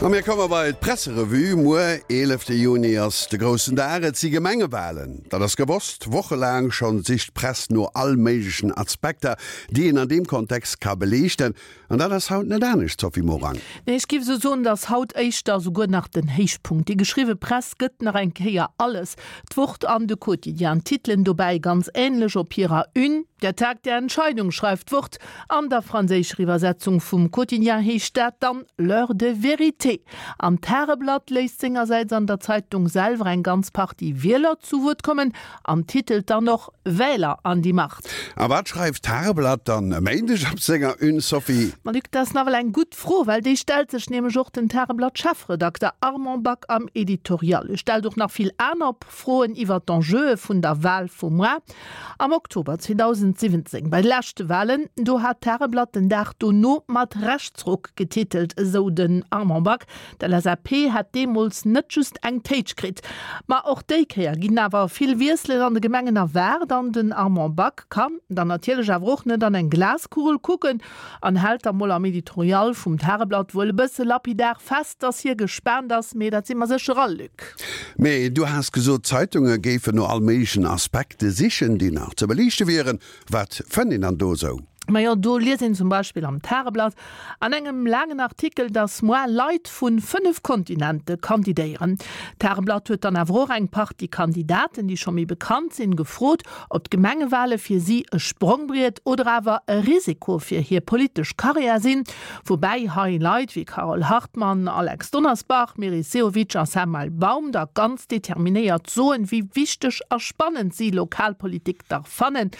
A mir komme bei d'Presserevue. Muer, eelefte Juni, ass de groussen Dag. Et si Gemengewalen. Dat ass gewosst. Wochelaang schonn sicht d'Press no all méiglechen Aspekter, déi een an deem Kontext ka beliichten. An dat ass haut net anescht, Sophie Morang. Nee, ech géif esou soen, et ass haut éischter souguer nach den Héichpunkt. Déi geschriwwe Press gëtt nach eng Kéier alles. D'Wort an de Quotidien titelen dobäi ganz änlech op hirer Une, Der Tag der Entscheidung, schreift d'Wort. An der franséischer Iwwersetzung vum Quotidien heescht dat dann L'heure de vérité. An d'Tageblatt léisst sengersäits an der Zeitung selwer eng ganz Partie Wieler zu Wuert kommen an titelt dann och Wähler an die Macht. A wat schreift d'Tageblatt dann e Méindeg op senger Une, Sophie? Ma Luc, dat ass nawell eng gutt Fro, well déi stellt sech nämlech och den Tageblatt-Chefredakter Armand Back am Editorial. E stellt och nach vill aner Froen iwwer d'Enjeue vun der Wal vu muar. Am Oktober 2017, bei de leschte Walen, do hat d'Tageblatt den Dag dono mat Rechtsruck getitelt, esou den Armand Back. D'LSAP hätt deemools net just eng Téitsch kritt. Ma och déi Kéier ginn awer vill Wiesselen an de Gemengen erwaart an den Armand Back kann dann natierlech awer och net an eng Glaskugel kucken an hält da mol am Editorial vum Tageblatt wuel e bësse lapidar fest, dass hie gespaant ass, mee dat si mer sécher all, Luc. Mee du has gesot, d'Zeitunge géifen no all méiglechen Aspekte sichen, déi nach ze beliichte wieren. Wat fënnt een dann do esou? Majo, do liest een zum Beispill am Tageblatt an engem laangen Artikel, dass moar Leit vu 5 Kontinente kandidéieren. D'Tageblatt huet dann awer och eng Partie Kandidaten, déi scho méi bekannt sinn, gefrot, ob d'Gemengewale fir si e Sprongbriet oder awer e Risiko fir hir politesch Karriär sinn. Woubäi hei Leit wéi Carole Hartmann, Alex Donnersbach, Meris Sehovic a Samuel Baum da ganz determinéiert soen, wéi wichteg a spannend si Lokalpolitik dach fannen.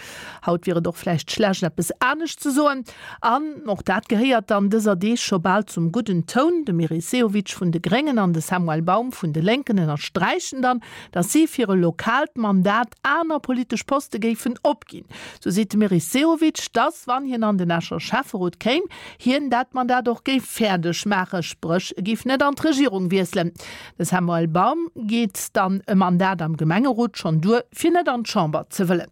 Haut wier et och vläicht schlecht eppes anescht ze soen. An och dat gehéiert dann dëser Deeg scho bal zum gudden Toun. De Meris Sehovic vun de Gréngen an de Samuel Baum vun de Lénken ënnersträichen dann, datt si fir e lokaalt Mandat aner politesch Poste géifen opginn. Sou seet de Meris Sehovic, datt, wann hien an den Escher Schäfferot kéim, hien dat Mandat och géif fäerdeg maachen, spréch e géif net an d'Regierung wiesselen. De Samuel Baum geet dann e Mandat am Gemengerot schonn duer, fir net an d'Chamber ze wëllen.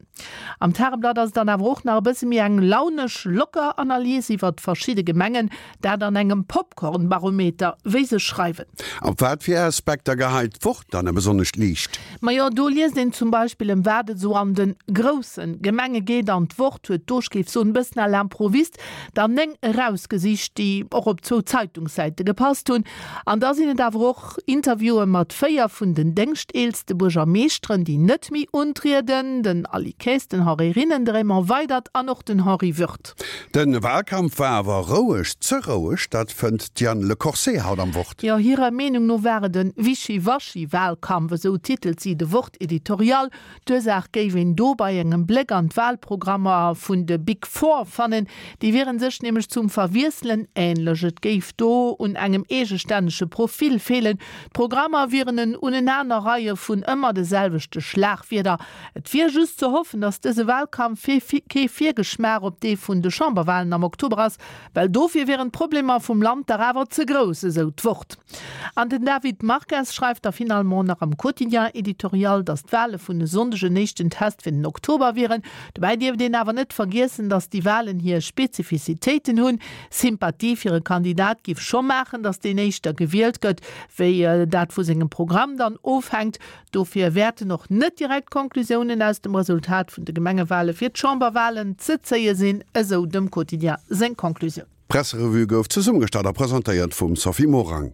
Am Tageblatt ass et dann awer och nach e bësse méi eng launesch, locker Analys iwwert verschidde Gemengen, Dat an engem Popcorn-Barometer, wéi se schreiwen. Op wat fir Aspekter geheit d'Wort dann e besonnescht Liicht? Majo, do liest een zum Beispill ëm wat et esou an de grousse Gemenge geet an d'Wort huet do, ech géif soen, e bëssen à l'improviste der 9 erausgesicht, déi och op zwou Zeitungssäite gepasst hunn. An da sinn et awer och Interviewe mat 4 vun den déngschteelste Buergermeeschteren, déi net méi untrieden, den Aly Kaes, den Henri Rinnen, de Raymond Weydert an och den Henri Würth. De Wahlkampf war awer roueg, ze roueg, dat fënnt d'Diane Le Corset haut am Wort. Jo, hirer Meenung no war et e Wischiwaschi-Wahlkampf, esou titelt si de Wort-Editorial. D'Ursaach géif een do bei engem Bléck an d'Wahlprogrammer vun de Big Four fannen. Déi wiere sech nämlech zum Verwiesselen änlech. Et géif do un engem eegestännege Profil feelen. D'Programmer wieren en Unenanerreie vun ëmmer de selwechte Schlagwierder. Et wier just ze hoffen, datt dëse Wahlkampf kee Virgeschmaach op dee vun de Chamberwahlen am Oktober ass, well dofir wieren d'Problemer vum Land dach awer ze grouss, esou d'Wort. An den David Marques schreift da finalement nach am Quotidien-Editorial, datt d'Wahle vun e Sonndeg en éischten Test fir den Oktober wieren. Dobäi dierft een awer net vergiessen, datt déi Wahlen hir Spezifizitéiten hunn. Sympathie fir e Kandidat giff scho maachen, datt deen éischter gewielt gëtt, wéi dat vu sengem Programm dann ofhänkt. Dofir wäerten och net direkt Conclusiounen aus dem Resultat vun de Gemengewale fir d'Chamberwalen ze zéie sinn, esou dem Quotidien seng Conclusioun. D'Presserevue gouf zesummegestallt a presentéiert vum Sophie Morang.